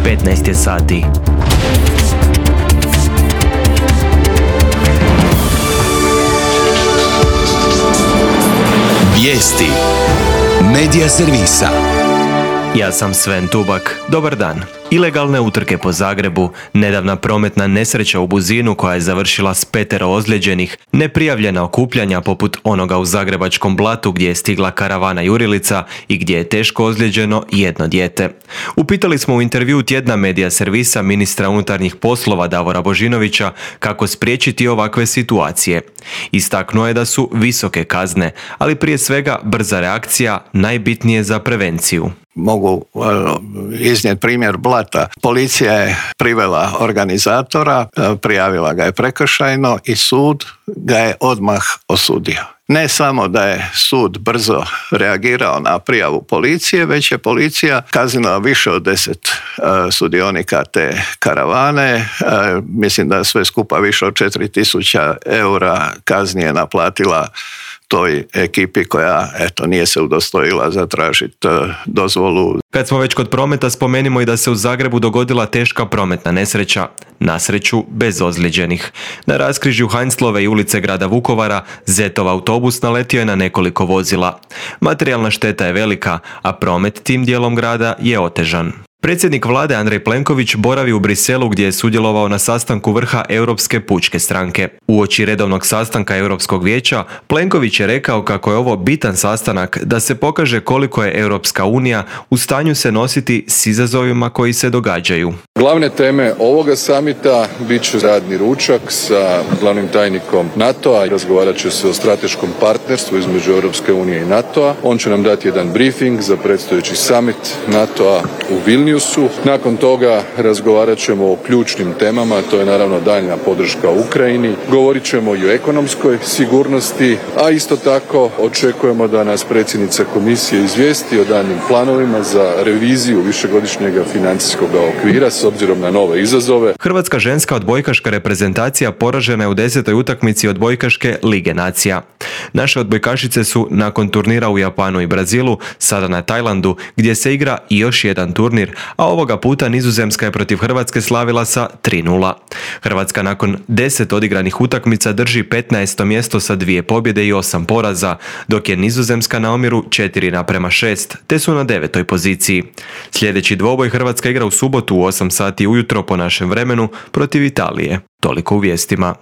15 je sati. Vijesti Medija servisa. Ja sam Sven Tubak. Dobar dan. Ilegalne utrke po Zagrebu, nedavna prometna nesreća u Buzinu koja je završila s 5 ozlijeđenih, neprijavljena okupljanja poput onoga u Zagrebačkom Blatu gdje je stigla karavana jurilica i gdje je teško ozlijeđeno jedno dijete. Upitali smo u intervjuu tjedna Medija servisa ministra unutarnjih poslova Davora Božinovića kako spriječiti ovakve situacije. Istaknuo je da su visoke kazne, ali prije svega brza reakcija najbitnije za prevenciju. Mogu iznijeti primjer Blata. Policija je privela organizatora, prijavila ga je prekršajno i sud ga je odmah osudio. Ne samo da je sud brzo reagirao na prijavu policije, već je policija kaznila više od 10 sudionika te karavane. Mislim da sve skupa više od 4.000 eura kazni je naplatila toj ekipi koja nije se udostojila zatražiti dozvolu. Kad smo već kod prometa, spomenimo i da se u Zagrebu dogodila teška prometna nesreća, na sreću bez ozlijeđenih. Na raskrižju Heinzlove i ulice grada Vukovara Zetov autobus naletio je na nekoliko vozila. Materijalna šteta je velika, a promet tim dijelom grada je otežan. Predsjednik vlade Andrej Plenković boravi u Briselu gdje je sudjelovao na sastanku vrha Europske pučke stranke. Uoči redovnog sastanka Europskog vijeća, Plenković je rekao kako je ovo bitan sastanak da se pokaže koliko je Europska unija u stanju se nositi s izazovima koji se događaju. Glavne teme ovoga samita bit će radni ručak sa glavnim tajnikom NATO-a. Razgovarat će se o strateškom partnerstvu između Europske unije i NATO-a. On će nam dati jedan briefing za predstojeći summit NATO-a u Vilniusu. Nakon toga razgovarat ćemo o ključnim temama, to je naravno daljnja podrška Ukrajini. Govorit ćemo i o ekonomskoj sigurnosti, a isto tako očekujemo da nas predsjednica komisije izvijesti o daljnjim planovima za reviziju višegodišnjeg financijskog okvira s obzirom na nove izazove. Hrvatska ženska odbojkaška reprezentacija poražena je u 10. utakmici odbojkaške Lige nacija. Naše odbojkašice su nakon turnira u Japanu i Brazilu sada na Tajlandu gdje se igra i još jedan turnir, a ovoga puta Nizozemska je protiv Hrvatske slavila sa 3:0. Hrvatska nakon 10 odigranih utakmica drži 15. mjesto sa 2 pobjede i 8 poraza, dok je Nizozemska na omjeru 4:6, te su na 9. poziciji. Sljedeći dvoboj Hrvatska igra u subotu u 8 sati ujutro po našem vremenu protiv Italije. Toliko u vijestima.